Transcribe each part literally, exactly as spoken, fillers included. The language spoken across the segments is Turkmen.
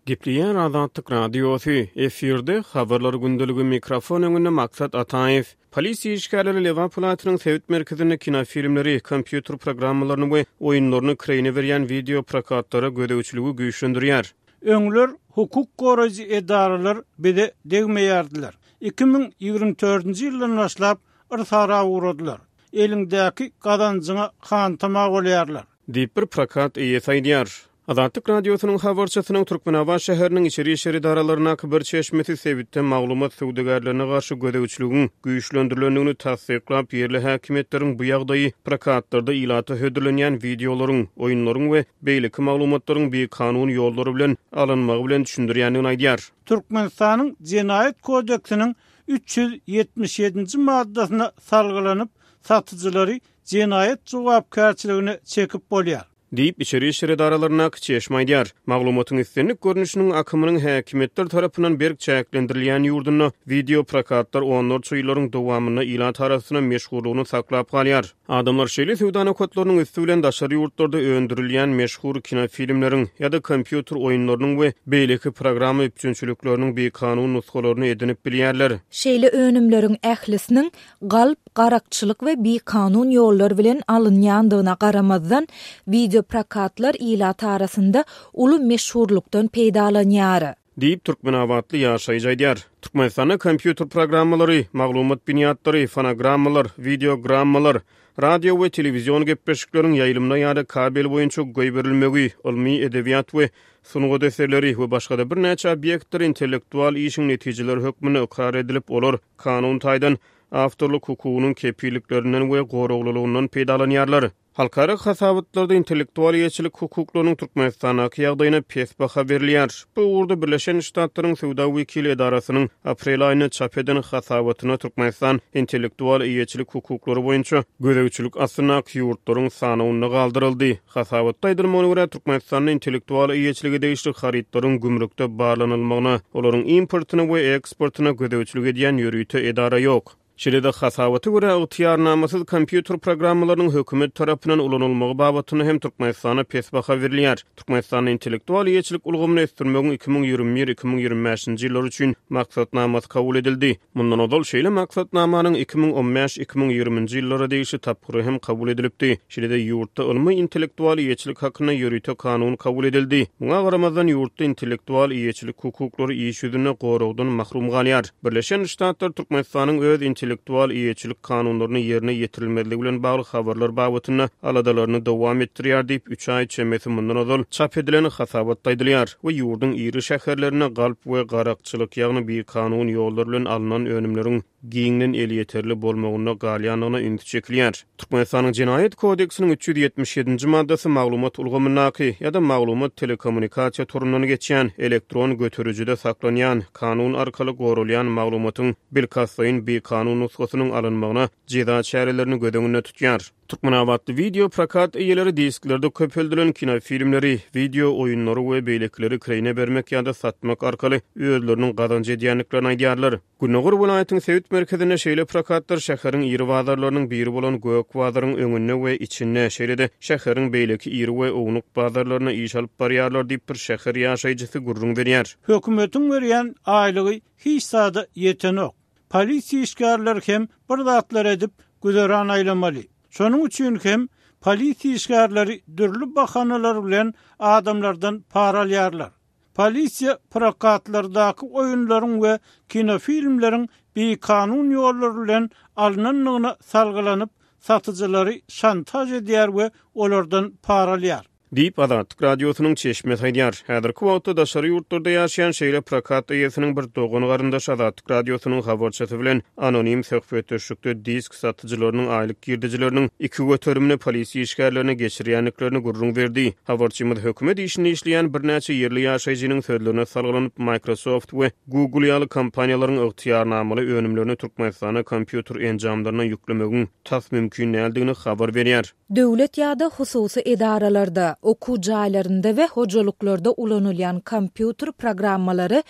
Gepleýär Azatlyk Radiosy, efirde Habarlar gündeligi, mikrofon öňünde Maksat Ataýew. Polisiýa işgärleri Lebap welaýatynyň sebit merkezinde kinofilmleri, kompýuter programmalaryny we oýunlaryny kireýine berýän wideo prokatlara gözegçiligi güýçlendirýär. Öňler hukuk goraýjy edaralar bize degmeýärdiler. Iki müň ýigrimi dördünji ýyldan başlap yrsara ugradylar. Eliňdäki gazanjyňa hantama bolýarlar. Diýip bir prokat eýesi aýdýar. Azatlyk Radiosynyň habarçysynyň Türkmenabat şäheriniň içeri işler edaralaryndaky bir çeşmesi sebitde maglumat söwdagärlerine garşy gözegçiligiň güýçlendirilendigini tassyklap, ýerli häkimiýetleriň bu ýagdaýy prokatlarda ilata hödürlenýän wideolaryň, oýunlaryň we beýleki maglumatlaryň bikanun ýollary bilen alynmagy bilen düşündirýändigini aýdýar. Türkmenistanyň Jenaýat kodeksiniň üç ýüz ýetmiş ýedinji maddasyna salgylanyp, satyjylary jenaýat jogapkärçiligine çekip bolýar. Diýip, içeri işler edaralaryndaky çeşme aýdýar. Maglumatyň islendik görnüşiniň akymynyň häkimiýetler tarapyndan berk çäklendirilýän ýurdunda wideo prokatlar onlarça ýyllaryň dowamynda ilat arasynda meşhurlygyny saklap galýar. Adamlar şeýle söwda nokatlarynyň üsti bilen daşary ýurtlarda öndürilýän meşhur kinofilmleriň ýa-da kompýuter oýunlarynyň we beýleki programma üpjünçilikleriniň bikanun nusgalaryny edinip bilýärler. Şeýle önümleriň ählisiniň galp, garakçylyk we bikanun ýollar bilen alynýandygyna garamazdan, wideo prokatlar ilat arasynda uly meşhurlukdan peýdalanýar. Diýip, Türkmenabatly ýaşaýjy aýdýar. Türkmenistanda kompýuter programmalary, maglumat binýatlary, fonogrammalar, wideogrammalar, radio we telewizion gepleşikleriň ýaýlymyna ýa-da kabel boýunça goýberilmegi, ylmy, edebiýat we sungat eserleri we başga-da birnäçe obýektler intellektual işiň netijeleri hökmünde ykrar edilip, olar kanun taýdan awtorlyk hukugynyň kepilliklerinden we goraglylygyndan peýdalanýarlar. Halkara hasabatlarda intellektual eýeçilik hukuklarynyň Türkmenistandaky ýagdaýyna pes baha berilýär. Bu ugurda Birleşen Ştatlaryň Söwda wekili edarasynyň aprel aýynda çap eden hasabatyna Türkmenistan intellektual eýeçilik hukuklary boýunça gözegçilik astyndaky ýurtlaryň sanawynda galdyryldy. Hasabatda aýdylmagyna görä, Türkmenistanda intellektual eýeçilige degişli harytlaryň gümrükde barlanylmagyna, olaryň importyna we eksportyna gözegçilik edýän ýörite edara ýok. Şeýle-de hasabata görä, ygtyýarnamasyz kompýuter programmalarynyň hökümet tarapyndan ulanylmagy babatynda hem Türkmenistana pes baha berilýär. Türkmenistanda intellektual eýeçilik ulgamyny ösdürmegiň iki müň ýigrimi bir iki müň ýigrimi bäşinji ýyllar üçin maksatnamasy kabul edildi. Mundan ozal şeýle maksatnamanyň iki müň on bäş iki müň ýigriminji ýyllara degişli tapgyry hem kabul edilipdi. Şeýle-de ýurtda ylmy intellektual eýeçilik hakynda ýörite kanun kabul edildi. Muňa garamazdan ýurtda intellektual eýeçilik hukuklary iş ýüzünde goragdan mahrum galýar. Birleşen Ştatlar Türkmenistanyň öz intellektual eýeçilik kanunlaryny ýerine ýetirilmezligi bilen bagly habarlar babatynda aladalaryny dowam etdirýär diýip, üç aý çemesi mundan ozal çap edilen hasabatda aýdylýar we ýurduň iri şäherlerinde galp we garakçylyk, ýagny bikanun ýollar bilen alnan önümleriň giňden elýeterli bolmagynda galýandygyna üns çekilýär. Türkmenistanyň Jenaýat kodeksiniň üç ýüz ýetmiş ýedinji maddasy maglumat ulgamyndaky ýa-da maglumat telekommunikasiýa torundan geçýän, elektron göterijide saklanýan, kanun arkaly goralýan maglumatyň bilkastlaýyn bikanun nusgasynyň alynmagyna jeza çärelerini göz öňünde tutýar. Türkmenabatly wideo prokat eýeleri disklerde köpeldilen kinofilmleri, wideo oýunlary we beýlekileri kireýine bermek ýa-da satmak arkaly özleriniň gazanç edýändiklerini aýdýarlar. Gündogar welaýatyň sebit merkezinde şeýle prokatlar şäheriň iri bazarlarynyň biri bolan Gök bazaryň öňünde we içinde, şeýle-de şäheriň beýleki iri we ownuk bazarlaryna iş alyp barýarlar diýip bir şäher ýaşaýjysy gürrüň berýär. Hökümetiň berýän aýlygy hiç zada ýetenok. Polisiýa işgärleri hem bir zatlar edip güzeran aýlamaly. Şonuň üçin hem polisiýa işgärleri dürli bahanalar bilen adamlardan para alýarlar. Polisiýa prokatlardaky oýunlaryň we kinofilmleriň bikanun ýollar bilen alynandygyna salgylanyp, satyjylary şantaj edýär we olardan para alýar. Diýip Azatlyk Radiosynyň çeşmesi aýdýar. Häzirki wagtda daşary ýurtlarda ýaşaýan şeýle prokat eýesiniň bir dogan garyndaşy Azatlyk Radiosynyň habarçysy bilen anonim söhbetdeşlikde disk satyjylarynyň aýlyk girdejileriniň iki göterimini polisiýa işgärlerine geçirýändiklerini gürrüň berdi. Habarçymyz hökümet işinde işleýän birnäçe ýerli ýaşaýjynyň sözlerine salgylanyp Microsoft we Google ýaly kompaniýalaryň ygtyýarnamaly önümlerini Türkmenistana kompýuter enjamlaryna ýüklemegiň tas mümkin däldigini habar berýär. Döwlet ýa-da hususy edaralarda, Okuw jaýlarynda we hojalyklarda ulanylýan kompýuter programmalary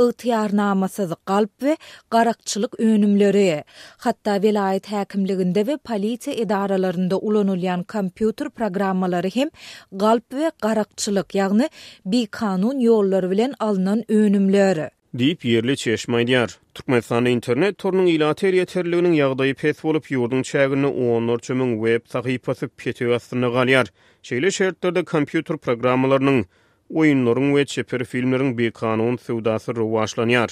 ygtyýarnamasyz galp we garakçylyk önümleri. Hatda welaýat häkimliginde we polisiýa edaralarynda ulanylýan kompýuter programmalary hem galp we garakçylyk, ýagny bikanun ýollar bilen alnan önümler. Diýip, ýerli çeşme aýdýar. Türkmenistanda internet torunyň ilata elýeterliliginiň ýagdaýy pes bolup, ýurduň çäginde onlarça müň web sahypasy petek astynda galýar. Şeýle şertlerde kompýuter programmalarynyň, oýunlaryň we çeper filmleriň bikanun söwdasy rowaçlanýar.